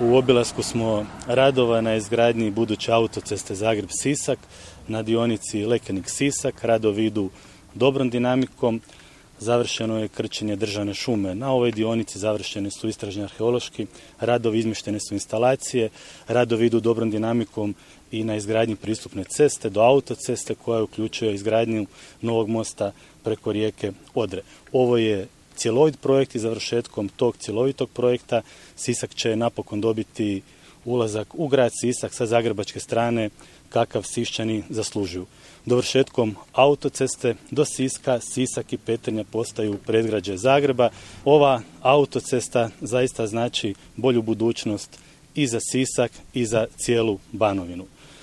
U obilasku smo radova na izgradnji buduće autoceste Zagreb-Sisak na dionici Lekenik-Sisak. Radovi idu dobrom dinamikom. Završeno je krčenje državne šume. Na ovoj dionici završeni su istražni arheološki radovi, izmještene su instalacije. Radovi idu dobrom dinamikom i na izgradnji pristupne ceste do autoceste koja uključuje izgradnju novog mosta preko rijeke Odre. Ovo je cjelovit projekt i završetkom tog cjelovitog projekta Sisak će napokon dobiti ulazak u grad Sisak sa zagrebačke strane kakav Siščani zaslužuju. Dovršetkom autoceste do Siska, Sisak i Petrinja postaju predgrađe Zagreba. Ova autocesta zaista znači bolju budućnost i za Sisak i za cijelu Banovinu.